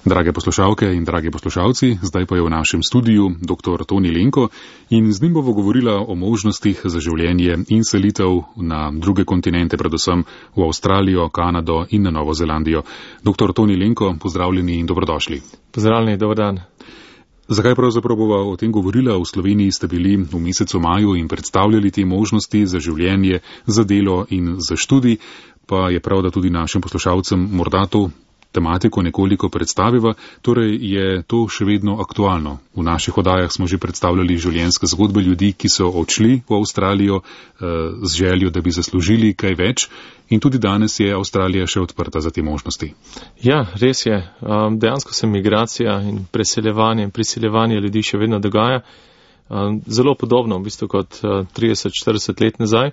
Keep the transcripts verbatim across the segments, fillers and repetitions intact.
Drage poslušalke in dragi poslušalci, zdaj pa je v našem studiu dr. Toni Lenko in z njim bomo govorila o možnostih za življenje in selitev na druge kontinente, predvsem v Avstralijo, Kanado in na Novo Zelandijo. doktor Toni Lenko, pozdravljeni in dobrodošli. Pozdravljeni, dober dan. Zakaj pravzaprav bova o tem govorila? V Sloveniji ste bili v mesecu maju in predstavljali te možnosti za življenje, za delo in za študij, pa je prav, da tudi našim poslušalcem morda to tematiko nekoliko predstaviva, torej je to še vedno aktualno. V naših oddajah smo že predstavljali življenjske zgodbe ljudi, ki so odšli v Avstralijo z željo, da bi zaslužili kaj več, in tudi danes je Avstralija še odprta za te možnosti. Ja, res je. Dejansko se migracija in preseljevanje in priseljevanje ljudi še vedno dogaja. Zelo podobno, v bistvu kot trideset štirideset let nazaj.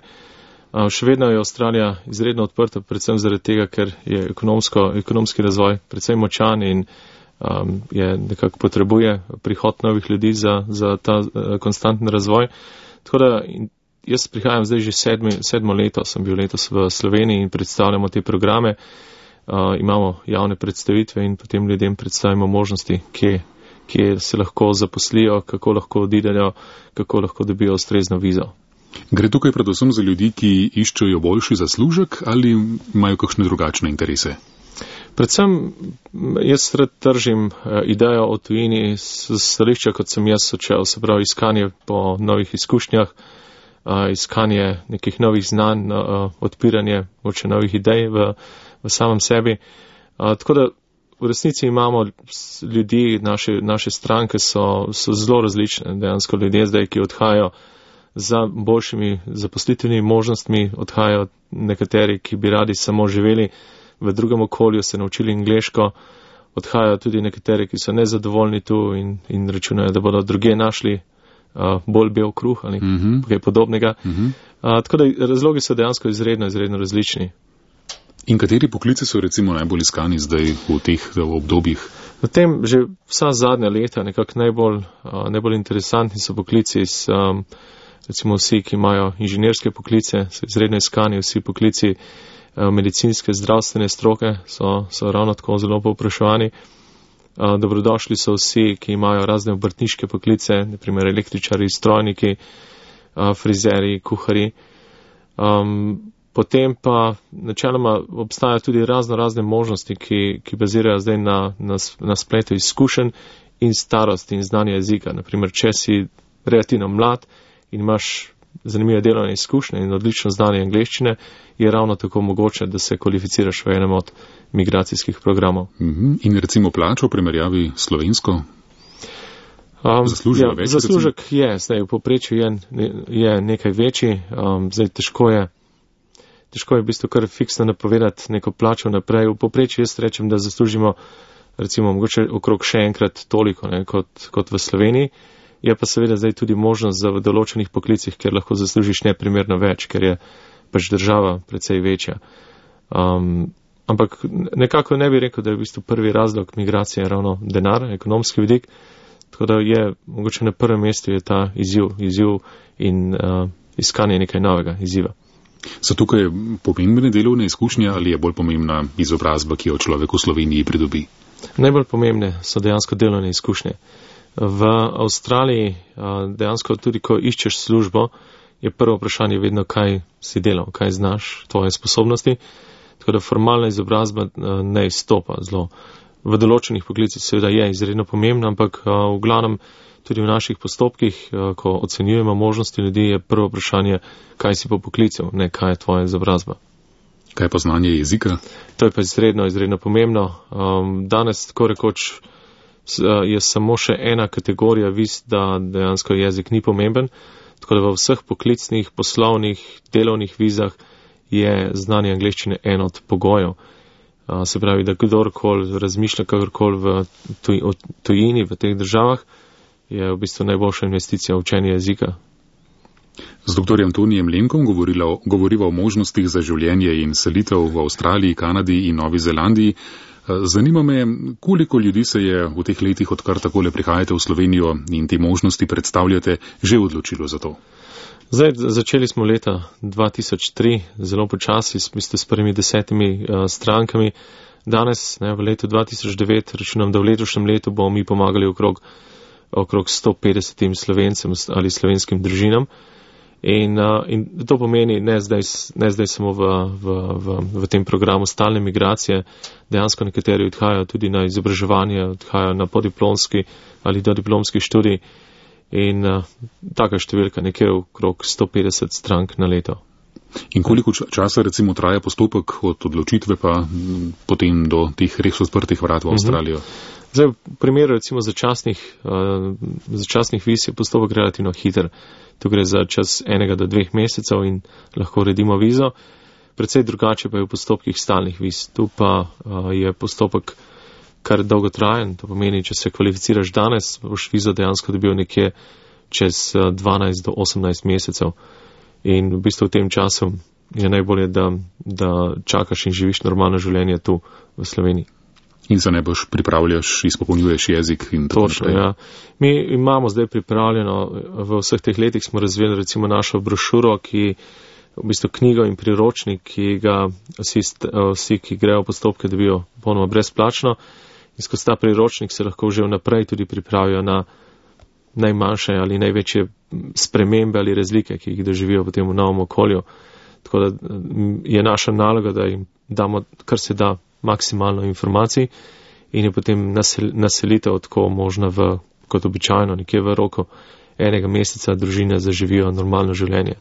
Še vedno je Avstralija izredno odprta, predvsem zaradi tega, ker je ekonomski razvoj predvsem močan in um, je nekako potrebuje prihod novih ljudi za, za ta uh, konstanten razvoj. Tako da jaz prihajam zdaj že sedmi, sedmo leto, sem bil letos v Sloveniji in predstavljamo te programe, uh, imamo javne predstavitve in potem ljudem predstavimo možnosti, kje, kje se lahko zaposlijo, kako lahko odidejo, kako lahko dobijo ustrezno vizo. Gre tukaj predvsem za ljudi, ki iščejo boljši zaslužek ali imajo kakšne drugačne interese? Predvsem jaz rad tržim idejo o tujini s stališča, kot sem jaz učel, se pravi iskanje po novih izkušnjah, iskanje nekih novih znanj, odpiranje moče novih idej v, v samem sebi. Tako da v resnici imamo ljudi, naše, naše stranke so, so zelo različne, dejansko ljudje zdaj, ki odhajajo za boljšimi zaposlitvenimi možnostmi, odhajajo nekateri, ki bi radi samo živeli v drugem okolju, se naučili angleško, odhajajo tudi nekateri, ki so nezadovoljni tu in, in računajo, da bodo druge našli uh, bolj bel kruh ali uh-huh. kaj podobnega. Uh-huh. Uh, tako da razlogi so dejansko izredno, izredno različni. In kateri poklici so recimo najbolj iskani zdaj v teh obdobjih? V tem že vsa zadnja leta nekako najbolj, uh, najbolj interesantni so poklici s um, recimo vsi, ki imajo inženirske poklice, so izredno iskani, vsi poklici medicinske, zdravstvene stroke so, so ravno tako zelo povpraševani. Dobrodošli so vsi, ki imajo razne obrtniške poklice, naprimer električari, strojniki, frizeri, kuhari. Um, potem pa načeloma obstajajo tudi razno razne možnosti, ki, ki bazirajo zdaj na, na, na spletu izkušenj in starosti in znanja jezika. Naprimer, če si relativno mlad in imaš zanimive delovne izkušnje in odlično znanje angleščine, je ravno tako mogoče, da se kvalificiraš v enem od migracijskih programov. Mm-hmm. In recimo plačo v primerjavi slovensko? Um, Zaslužek ja, več? Zaslužek je, zdaj v povprečju je, je nekaj večji, um, zdaj težko je, težko je v bistvu kar fiksno napovedati neko plačo naprej. V povprečju jaz rečem, da zaslužimo recimo mogoče okrog še enkrat toliko, ne, kot, kot v Sloveniji. Je pa seveda zdaj tudi možnost za v določenih poklicih, kjer lahko zaslužiš neprimerno več, ker je pač država precej večja. Um, ampak nekako ne bi rekel, da je v bistvu prvi razlog migracije ravno denar, ekonomski vidik, tako da je mogoče na prvem mestu je ta izziv, izziv in uh, iskanje nekaj novega izziva. So tukaj pomembne delovne izkušnje ali je bolj pomembna izobrazba, ki jo človek v Sloveniji pridobi? Najbolj pomembne so dejansko delovne izkušnje. V Avstraliji dejansko tudi, ko iščeš službo, je prvo vprašanje vedno, kaj si delal, kaj znaš, tvoje sposobnosti. Tako da formalna izobrazba ne izstopa zelo. V določenih poklicih seveda je izredno pomembna, ampak v glavnem tudi v naših postopkih, ko ocenjujemo možnosti ljudi, je prvo vprašanje, kaj si po poklicu, ne kaj je tvoja izobrazba. Kaj pa znanje jezika? To je pa izredno, izredno pomembno. Danes tako rekoč je samo še ena kategorija viz, da dejansko jezik ni pomemben, tako da v vseh poklicnih, poslovnih, delovnih vizah je znanje angleščine en od pogojev. Se pravi, da kdorkoli razmišlja kakorkoli v tuj, tujini, v teh državah, je v bistvu najboljša investicija v učenje jezika. Z doktorjem Tonijem Lenkom govoriva o možnostih za življenje in selitev v Avstraliji, Kanadi in Novi Zelandiji. Zanima me, koliko ljudi se je v teh letih, odkar takole prihajate v Slovenijo in te možnosti predstavljate, že odločilo za to? Zdaj, začeli smo leta dva tisoč tri, zelo počasi, s prvimi desetimi uh, strankami. danes, ne, v letu dva tisoč devet, računam, da v letošnjem letu bomo mi pomagali okrog, okrog sto petdesetim Slovencem ali slovenskim družinam. In, uh, in to pomeni ne zdaj, ne zdaj samo v, v, v, v tem programu stalne migracije, dejansko nekateri odhajajo tudi na izobraževanje, odhajajo na podiplomski ali dodiplomski študij in uh, taka številka nekje okrog sto petdeset strank na leto. In koliko časa recimo traja postopek od odločitve pa potem do teh res odprtih vrat v Avstralijo? Zdaj, v primeru recimo začasnih, uh, začasnih viz je postopek relativno hiter. Tu gre za čas enega do dveh mesecev in lahko uredimo vizo. Predvsej drugače pa je v postopkih stalnih viz. Tu pa uh, je postopek kar dolgotrajen. To pomeni, če se kvalificiraš danes, boš vizo dejansko dobil nekje čez uh, dvanajst do osemnajst mesecev. In v bistvu v tem času je najbolje, da, da čakaš in živiš normalno življenje tu v Sloveniji. In se ne boš pripravljaš, izpopolnjuješ jezik in tako naprej. Točno, ja. Mi imamo zdaj pripravljeno, v vseh teh letih smo razvili recimo našo brošuro, ki v bistvu knjigo in priročnik, ki ga vsi, vsi ki grejo v postopke, dobijo ponoma brezplačno. In skozi ta priročnik se lahko že vnaprej tudi pripravijo na najmanjše ali največje spremembe ali razlike, ki jih doživijo v tem novem okolju. Tako da je naša naloga, da jim damo kar se da maksimalno informacij in je potem nasel, naselitev tako možna v, kot običajno, nekje v roku enega meseca družine zaživijo normalno življenje.